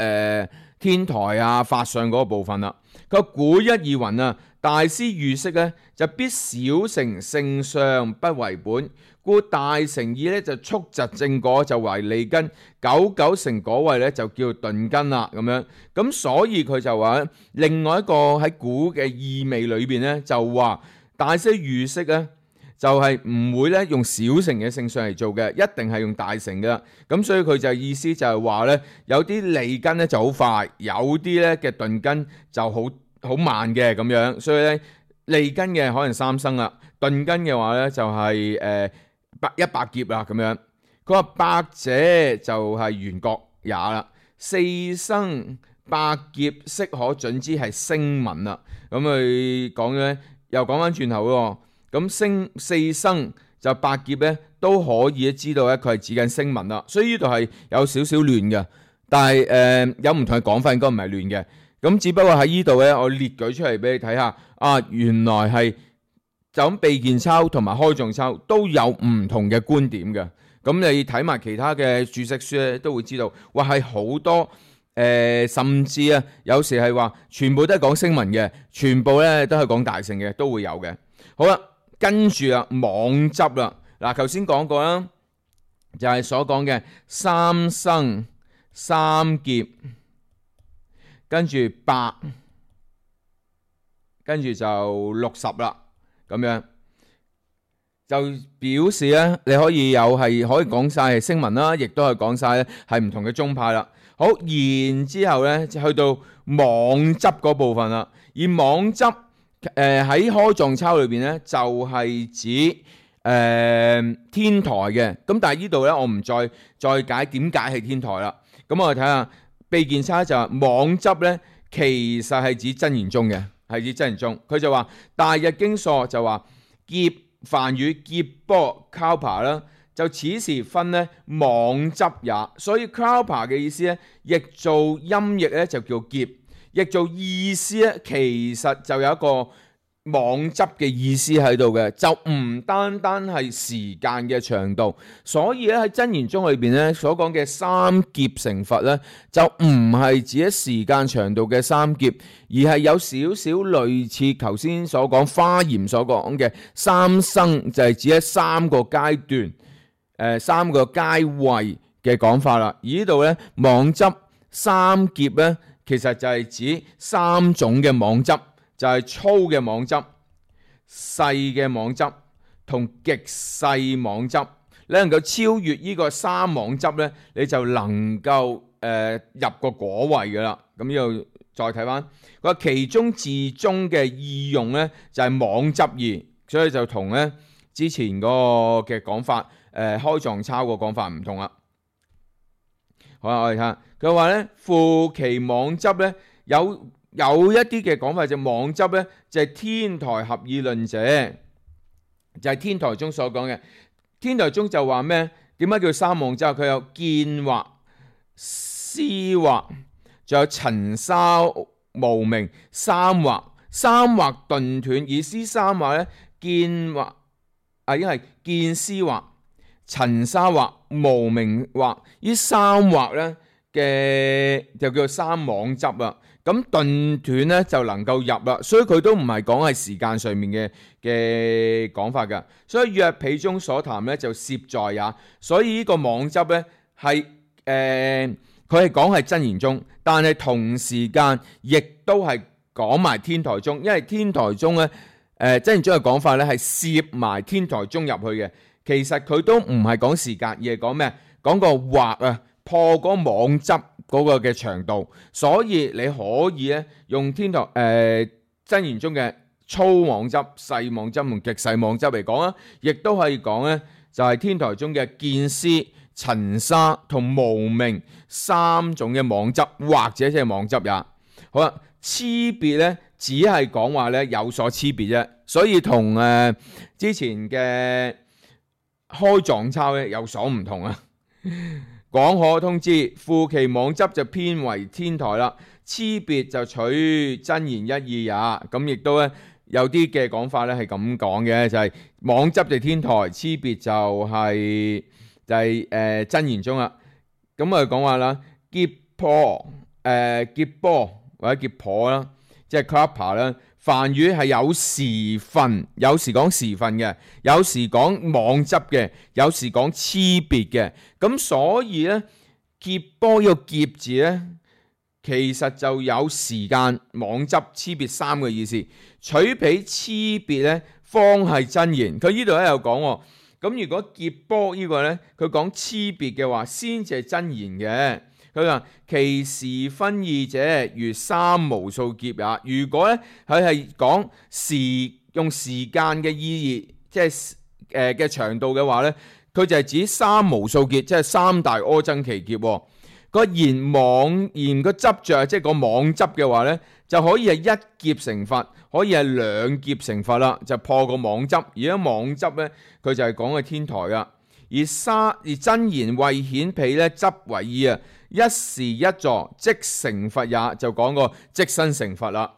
天台啊、法相嗰個部分啦。佢古一義云啊，大師喻釋咧就必小乘性相不為本，故大乘意咧就速疾正果就為利根，久成果位咧就叫頓根啦咁樣。咁所以佢就話另外一個喺古嘅意味裏邊咧就話大師喻釋咧就係唔會咧用小乘嘅性相嚟做嘅，一定係用大乘嘅。咁所以佢就意思就係話咧有啲利根咧就好快，有啲咧嘅頓根就好慢嘅咁樣，所以咧利根嘅可能3生啦，頓根嘅話咧就係100劫啦咁樣。佢話百者就係緣覺也啦，4生百劫悉可準之係聲聞啦。咁佢講咧又講翻轉頭喎，咁4生就百劫咧都可以知道咧佢係指緊聲聞啦。所以呢度係有少少亂嘅，但係有唔同嘅講法，應該唔係亂嘅。咁只不過喺呢度咧，我列舉出嚟俾你睇下。啊，原來係就咁秘見鈔同埋開藏鈔都有唔同嘅觀點嘅。咁你睇埋其他嘅注釋書咧，都會知道，哇係好多甚至啊，有時係話全部都係講聲聞嘅，全部咧都係講大乘嘅，都會有嘅。好啦，跟住啊妄執啦。嗱，頭先講過啦，就係所講嘅3生3劫。跟住100，跟住就60啦，咁樣就表示咧，你可以可以講晒係聲聞啦，亦都係講晒咧係唔同嘅宗派啦。好，然之後咧就去到妄執嗰部分啦。而妄執喺開藏鈔裏邊咧就係指天台嘅。咁但係呢度咧我唔再解點解係天台啦。咁我哋睇下。秘見鈔就話妄執咧，其實係指真言宗嘅，係指真言宗。佢就話大日經疏就話劫梵語劫波 kalpa 啦，就此時分呢妄執也。所以 kalpa 嘅意思咧，譯做音譯咧就叫劫，譯做意思咧其實就有一個妄執嘅意思喺度嘅，就唔單單係時間嘅長度。所以咧喺真言宗裏邊咧所講嘅三劫成佛咧，就唔係指喺時間長度嘅三劫，而係有少少類似頭先所講華嚴所講嘅三生，就係指喺三個階段、三個階位嘅講法啦。而呢度咧妄執三劫咧，其實就係指三種嘅妄執。就係粗嘅妄執、細嘅妄執同極細妄執。你能夠超越呢個三妄執呢，你就能夠入個果位噶啦。咁呢度再睇翻，佢話其中自宗嘅意用呢，就係妄執義，所以就同呢之前嗰個嘅講法開藏抄個講法唔同啦。好啦，我哋睇下佢話呢，負其妄執呢，有一啲嘅講法就妄執咧，就係天台合議論者，就係天台宗所講嘅。天台宗就話咩？點解叫三妄執？佢有見惑、思惑，仲有塵沙無明三惑。三惑頓斷，意思三惑咧，見惑因為見思惑、塵沙惑、無明惑，呢三惑咧嘅就叫做三妄執啦。咁頓斷咧就能夠入啦，所以佢都唔係講係時間上面嘅講法㗎。所以約毗宗所談咧就攝在也。所以呢個妄執咧係佢係講係真言宗，但係同時間亦都係講埋天台宗，因為天台宗咧真言宗嘅講法咧係攝埋天台宗入去嘅。其實佢都唔係講時間，而係講咩？講個惑啊，破嗰妄執嗰個嘅長度，所以你可以咧用天台真言宗嘅粗妄執、細妄執同極細妄執嚟講啊，亦都可以講咧就係天台宗嘅見思、塵沙同無明三種嘅妄執，或者即係妄執也。好啦，差別咧只係講話咧有所差別啫，所以同之前嘅開藏抄咧有所唔同啊。廣可通知，負其妄執就偏為天台啦，差別就取真言一義也。咁亦都咧有啲嘅講法咧係咁講嘅，就係妄執就天台，差別就係真言宗啦。咁我哋講話啦，劫波或者劫婆啦，即係 kalpa 啦。梵語係有時分，有時講時分嘅，有時講妄執嘅，有時講差別嘅。咁所以咧，劫波呢個劫字咧，其實就有時間、妄執、差別三個意思。取彼差別咧，方係真言。佢呢度咧有講，咁如果劫波呢個咧，佢講差別嘅話，先至係真言嘅。佢話其時分異者，如三無數劫也。如果咧佢係講用時間嘅意義，即係嘅長度嘅話咧，佢就係指三無數劫，即係三大阿僧祇劫。個言個執着，即係個妄執嘅話咧，就可以係一劫成佛，可以係兩劫成佛啦，就破個妄執。而家妄執咧，佢就係講嘅天台噶。而真言為顯彼咧執為意啊，一時一座即成佛也，就講個即身成佛啦。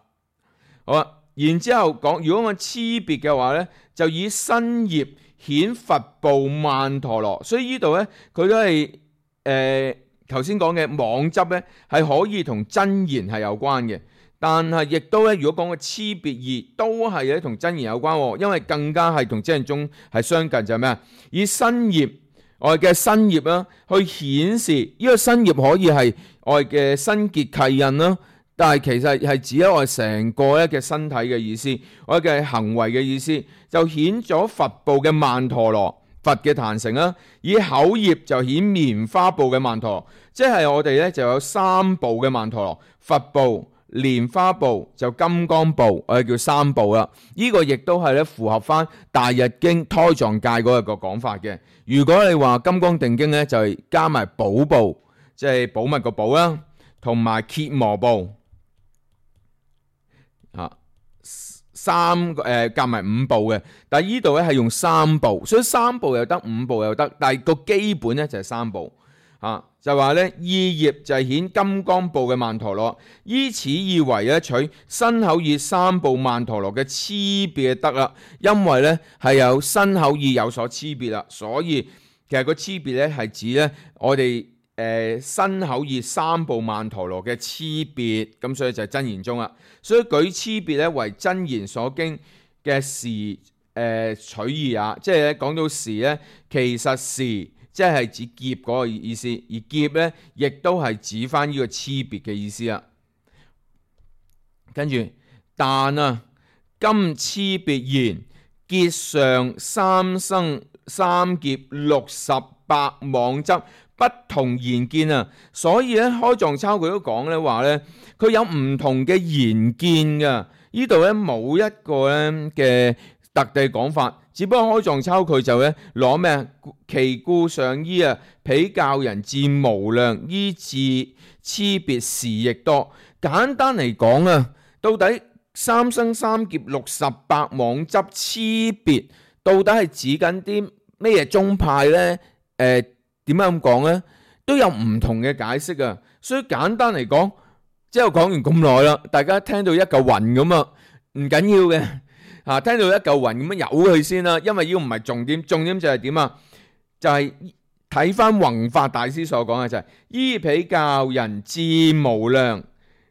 好啦，然之後講，如果我差別嘅話咧，就以身業顯佛報曼陀羅。所以呢度咧，佢都係頭先講嘅妄執咧，係可以同真言係有關嘅。但係亦都咧，如果講個差別義，都係咧同真言有關，因為更加係同真言宗係相近，就係咩啊？以身業我哋嘅身業啦，去顯示呢個身業可以係我哋嘅身結契印啦，但係其實係指咗我哋成個咧嘅身體嘅意思，我哋嘅行為嘅意思，就顯咗佛報嘅曼陀羅，佛嘅壇城啦。以口業就顯棉花報嘅曼陀羅，即係我哋咧就有三報嘅曼陀羅，佛報、蓮花部就金剛部，我哋叫三部啦。呢個亦都係咧符合翻大日經胎藏界嗰個講法嘅。如果你話金剛定經咧，就係加埋寶部，即係寶物個寶啦，同埋羯磨部。夾埋5步嘅，但係呢度咧係用3步，所以3步又得，5步又得，但係個基本咧就係3步。就話咧，意業就係顯金剛部嘅曼陀羅，依此意為咧取身口意3部曼陀羅嘅差別得啦，因為咧係有身口意有所差別啦，所以其實個差別咧係指咧我哋身口意3部曼陀羅嘅差別，咁所以就係真言宗啦。所以舉差別咧為真言所經嘅時取義也，即係咧講到時咧，其實時即係指劫嗰個意思，而劫咧亦都係指翻呢個差別嘅意思啦。跟住，但今差別言結上三生三劫68妄執不同言見啊，所以咧開藏抄佢都講咧話咧，佢有唔同嘅言見噶。呢度咧冇一個咧嘅特地講法，只不過開藏抄佢就咧攞咩啊？其故上依啊，彼教人自無量，依自差別時亦多。簡單嚟講啊，到底三生三劫68妄執差別，到底係指緊啲咩宗派呢？點解咁講呢？都有唔同嘅解釋啊。所以簡單嚟講，即係講完咁耐啦，大家聽到一嚿雲咁啊，唔緊要嘅嚇，聽到一嚿雲咁樣由佢先啦，因為呢個唔係重點，重點就係點啊？就係睇翻弘法大師所講嘅就係依彼教人自無量，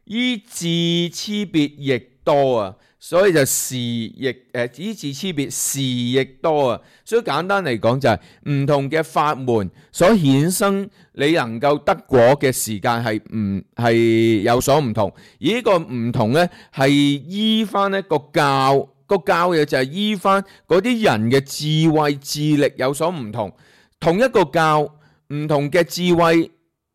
依自差別亦多啊。所以就時亦依自差別時亦多啊。所以簡單嚟講就係唔同嘅法門所衍生你能夠得果嘅時間係有所唔同，而呢個唔同呢係依翻一個教嘅就係依翻嗰啲人嘅智慧智力有所唔同。同一個教唔同嘅智慧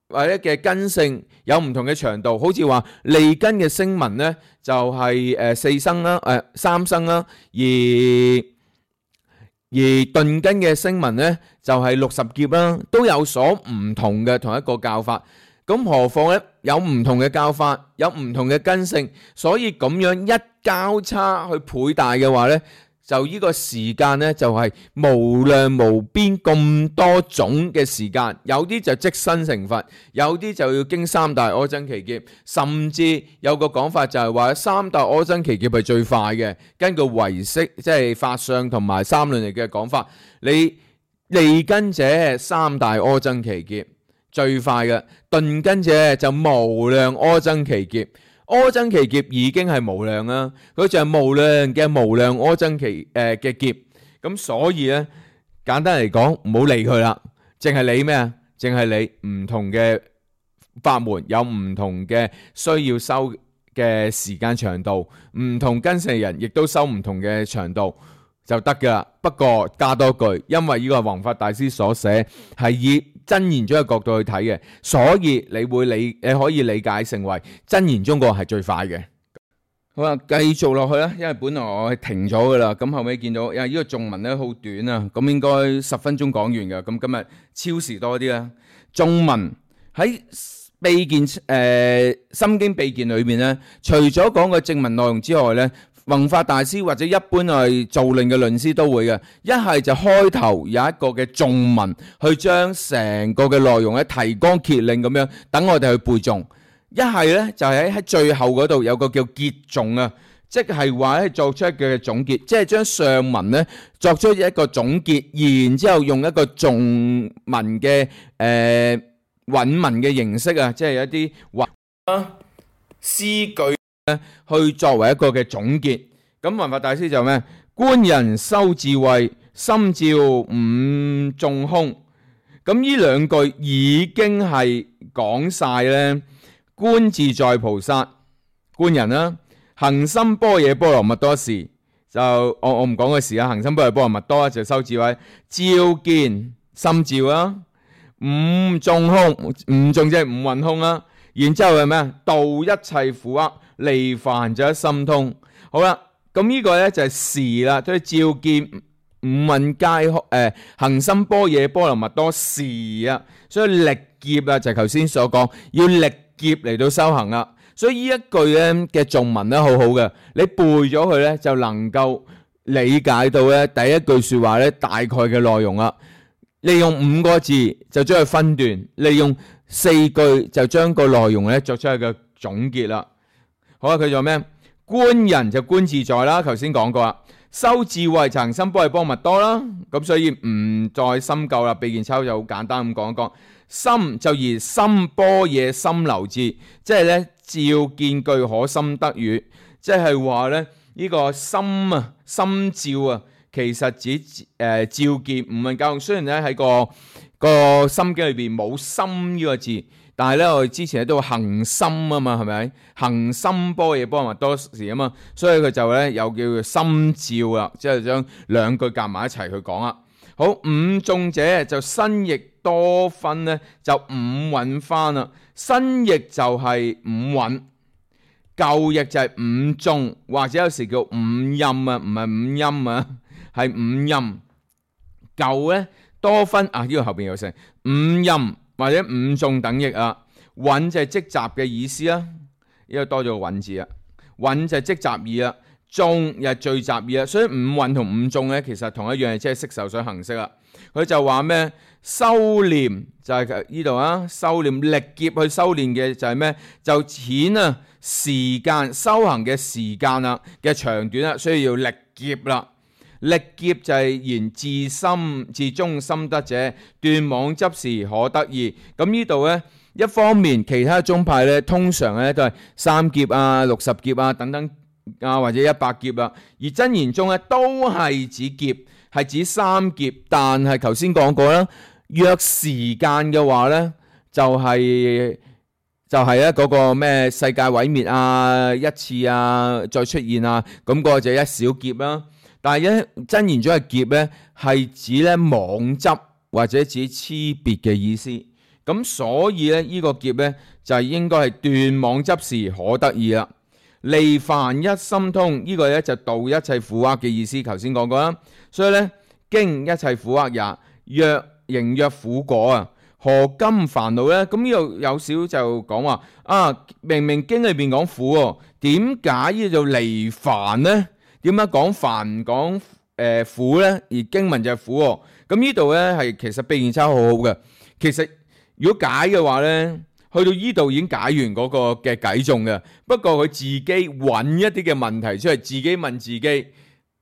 或者嘅根性有唔同嘅長度，好似話利根嘅聲聞呢，就係4生啦，3生啦，而頓根嘅聲聞呢，就係60劫啦，都有所唔同嘅同一個教法。咁何況呢？有唔同嘅教法，有唔同嘅根性，所以咁樣一交叉去倍大嘅話呢，就呢個時間呢，就係無量無邊咁多種嘅時間，有啲就即身成佛，有啲就要經3大阿僧祇劫，甚至有個講法就係話3大阿僧祇劫係最快嘅。根據唯識即係法相同埋三論嚟嘅講法，你利根者3大阿僧祇劫最快嘅，頓根者就無量阿僧祇劫。阿僧祇劫已經係無量啦，佢就係無量嘅無量阿僧祇嘅劫。咁所以咧，簡單嚟講，唔好理佢啦，淨係理咩啊？淨係理唔同嘅法門有唔同嘅需要修嘅時間長度，唔同根性人亦都修唔同嘅長度就得噶啦。不過加多句，因為呢個係弘法大師所寫，係以真言宗嘅角度去睇嘅，所以你可以理解成為真言宗個係最快嘅。好啦，繼續落去啦，因為本來我係停咗噶啦，咁後尾見到因為呢個頌文咧好短啊，咁應該10分鐘講完噶，咁今日超時多啲啦。頌文喺秘見心經秘見裏面咧，除咗講個正文內容之外咧，弘法大師或者一般係造論嘅論師都會嘅，一係就開頭有一個嘅頌文，去將成個嘅內容咧提綱挈領咁樣，等我哋去背誦；一係咧就係喺最後嗰度有個叫結頌啊，即係話咧作出一個總結，即係將上文咧作出一個總結，然之後用一個頌文嘅韻文嘅形式啊，即係一啲詩句去作為一個嘅總結。咁弘法大師就咩？觀人修智慧，心照五眾空。咁呢兩句已經係講晒咧。觀自在菩薩，觀人啦，行深般若波羅蜜多時，就我唔講個時啊。行深般若波羅蜜多就修智慧，照見心照啦，五眾空，五眾即係五蘊空啦。然之後係咩啊？度一切苦厄，離煩就一心通。好啦，咁呢個咧就係時啦，即係照見五蘊皆空，行深般若波羅蜜多時啊。所以歷劫啊，就係頭先所講，要歷劫嚟到修行啦。所以呢一句咧嘅頌文咧好好嘅，你背咗佢咧就能夠理解到咧第一句說話咧大概嘅內容啦。利用5個字就將佢分段，利用4句就將個內容咧作出一個總結啦。好啊，佢做咩？觀人就觀自在啦，頭先講過啦。修智慧就行深般若波羅蜜多啦，咁所以唔再深究啦。秘見抄就好簡單咁講一講。心就以深般若心流智，即係咧照見具可心得語，即係話咧呢個心啊心照啊。其實指照見唔係教，雖然咧喺個心經裏邊冇心呢個字，但係咧我哋之前都行心啊嘛，係咪？行深般若波羅蜜多時啊嘛，所以佢就咧有叫做心照啦，即係將兩句夾埋一齊去講啦。好，五眾者就新譯多分咧，就五蘊翻啦。新譯就係五蘊，舊譯就係五眾，或者有時叫五陰啊，唔係五音啊。係五陰，舊咧多分啊，呢個後邊有成五陰或者五眾等譯啊。蘊就係積集嘅意思啊，呢個多咗個蘊字啊。蘊就係積集義啊，眾又係聚集義啊。所以五蘊同五眾咧，其實同一樣，即係色受想行識啊。佢就話咩？修練就係呢度啊，修練力劫去修練嘅就係咩？就淺啊時間修行嘅時間啊嘅長短啊，所以要力劫啦。力劫就係言自心自中心得者，斷妄執時可得意。咁呢度呢，一方面其他宗派呢，通常呢都係3劫啊、60劫啊等等啊，或者100劫啊。而真言宗呢，都係指劫，係指3劫。但係頭先講過啦，若時間嘅話呢，就係咧嗰個咩世界毀滅啊、一次啊、再出現啊，咁嗰個就一小劫啦。但係咧真言宗嘅劫咧，係指咧妄執或者指差別嘅意思。咁所以咧呢個劫咧就係應該係斷妄執時可得意啦。離凡一心通，呢個咧就度一切苦厄嘅意思。頭先講過啦，所以咧經一切苦厄也，若形若苦果啊，何今煩惱咧？咁呢度有少就講話啊，明明經裏邊講苦喎，點解呢度離凡呢？點解講凡唔講苦呢？而經文就係苦喎。咁呢度呢，係其實秘見抄好好嘅。其實如果解嘅話呢，去到呢度已經解完嗰個嘅偈頌嘅。不過佢自己揾一啲嘅問題出嚟，自己問自己去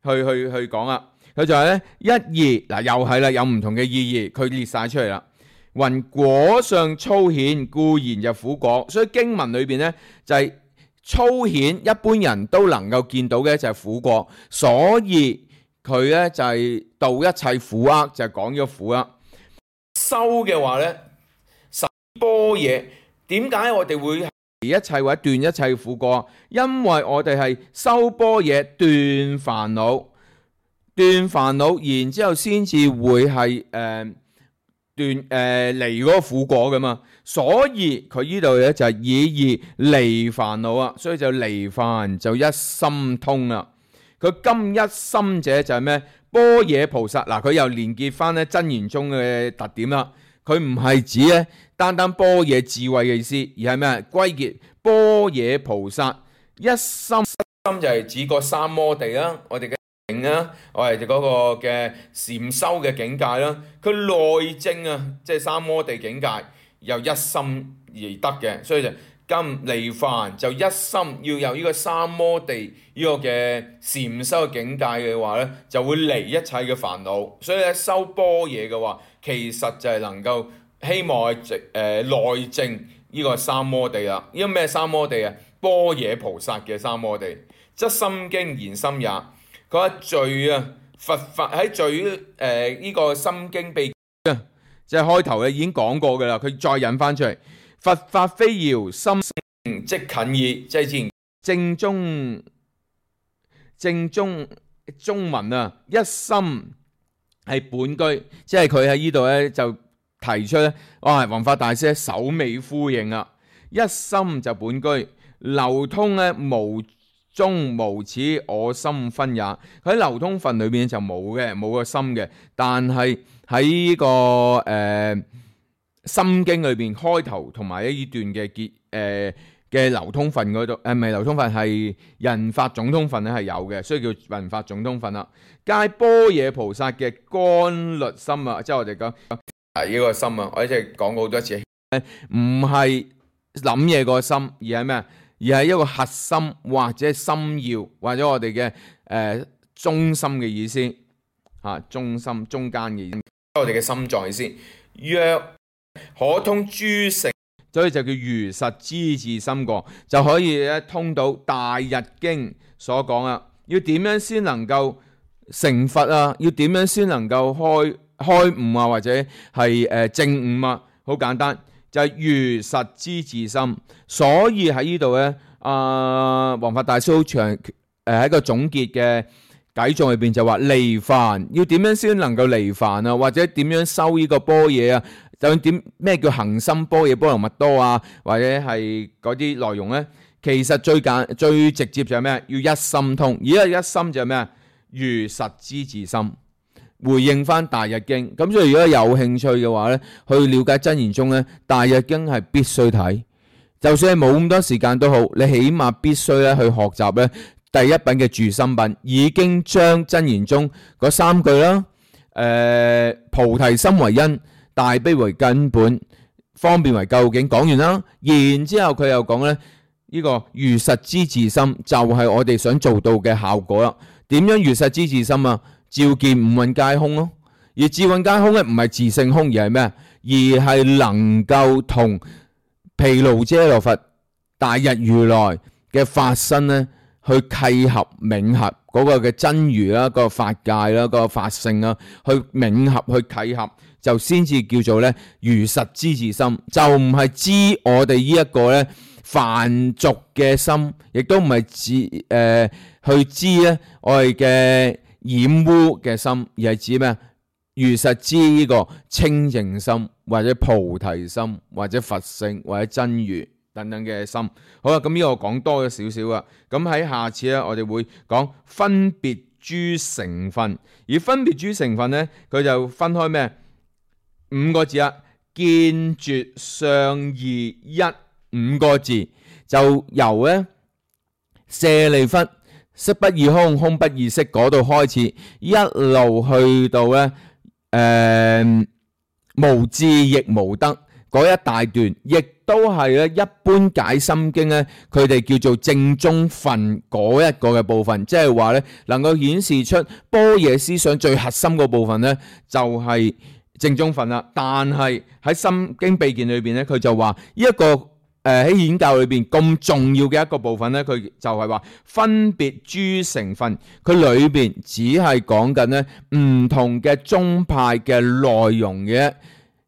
講啦。佢就係呢：一二嗱，又係啦，有唔同嘅意義，佢列晒出嚟啦。云果相粗顯，固然就苦果。所以經文裏邊呢，就係粗顯，一般人都能夠見到嘅就係苦果，所以佢咧就係度一切苦厄，就係講咗苦啦。修嘅話咧，十般若，點解我哋會一切或者斷一切苦果？因為我哋係修般若斷煩惱，然之後先至會係離嗰個苦果噶嘛，所以佢呢度咧就係以離煩惱啊，所以就離煩就一心通啦。佢今一心者就係咩？般若菩薩嗱，佢又連結翻咧真言宗嘅特點啦。佢唔係指咧單單般若智慧嘅意思，而係咩？歸結般若菩薩一心，就係指個三摩地啦，我哋嘅我哋嗰個嘅禪修嘅境界啦，佢內證啊，即係三摩地境界，由一心而得嘅，所以就今離煩就一心要有呢個三摩地呢個嘅禪修嘅境界嘅話咧，就會離一切嘅煩惱。所以咧修般若嘅話，其實就係能夠希望內證呢個三摩地啦。呢個咩三摩地啊？般若菩薩嘅三摩地，則心經言心也。佢話罪啊，佛法喺罪呢個心經秘啊，即係開頭已經講過噶啦，佢再引翻出嚟。佛法非遙心性即近矣，即係之前正中文啊，一心係本居，即係佢喺呢度咧就提出咧，哇，宏法大師首尾呼應啊，一心就本居，流通咧無中無此我心分也。佢喺流通分裏邊就冇個心嘅，但係喺呢個心經裏邊開頭同埋呢段嘅嘅流通分嗰度，唔係流通分，係人法總通分咧係有嘅，所以叫人法總通分啦。皆般若菩薩嘅觀律心啊，即係我哋講呢個心啊，我一直講過好多次，唔係諗嘢個心，而係咩？而係一個核心或者心要，或者我哋嘅中心嘅意思嚇，中心中間嘅意思，我哋嘅心臟意思。若可通諸聖，所以就叫如實知自心過，就可以咧通到大日經所講啊。要點樣先能夠成佛啊？要點樣先能夠開悟啊？或者係證悟啊？好簡單，就係如實知自心。所以喺呢度咧，弘法大師好長喺個總結嘅偈頌裏邊就話離煩，要點樣先能夠離煩啊？或者點樣修呢個般若啊？就點咩叫行深般若波羅蜜多啊？或者係嗰啲內容咧，其實最直接就係咩？要一心通。而家一心就係咩？如實知自心，回應翻大日經。咁所以如果有興趣嘅話咧，去了解真言宗咧，大日經係必須睇。就算係冇咁多時間都好，你起碼必須咧去學習咧第一品嘅住心品，已經將真言宗嗰三句啦，菩提心為因，大悲為根本，方便為究竟講完啦。然之後佢又講咧，呢個如實知自心就係我哋想做到嘅效果啦。點樣如實知自心啊？照見五蘊皆空咯。而智蘊皆空咧，唔係自性空，而係咩？而係能夠同毗盧遮那佛、大日如來嘅法身咧，去契合冥合嗰個嘅真如啦，個法界啦，個法性啦，去冥合去契合，就先至叫做咧如實知自心，就唔係知我哋呢一個咧凡俗嘅心，亦都唔係去知咧我哋嘅染污嘅心，而係指咩？如實知呢個清淨心，或者菩提心，或者佛性，或者真如等等嘅心。好啦，咁呢個我講多咗少少啦。咁喺下次咧，我哋會講分別諸成分。而分別諸成分咧，佢就分開咩？5個字啊，見絕相異一5個字，就由咧舍利弗色不異空，空不異色嗰度開始，一路去到咧無智亦無得嗰一大段，亦都係咧一般解心經咧，佢哋叫做正宗分嗰一個嘅部分，即係話咧能夠顯示出般若思想最核心嗰部分咧，就係正宗分啦。但係喺心經秘見裏邊咧，佢就話呢一個喺顯教裏邊咁重要嘅一個部分咧，佢就係話分別諸成分，佢裏邊只係講緊咧唔同嘅宗派嘅內容嘅。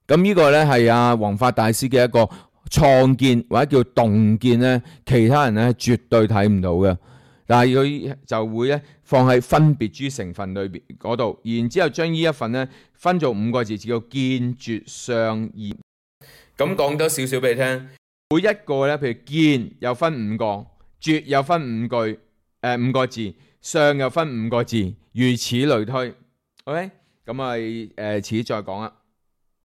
咁呢個咧係弘法大師嘅一個創建或者叫洞見咧，其他人咧絕對睇唔到嘅。但係佢就會咧放喺分別諸成分裏邊嗰度，然之後將呢一份咧分做5個字，叫見絕相異。咁講多少少俾你聽。每一個咧，譬如見又分5個，絕又分5個字，相又分5個字，如此類推。OK，咁遲再講啦。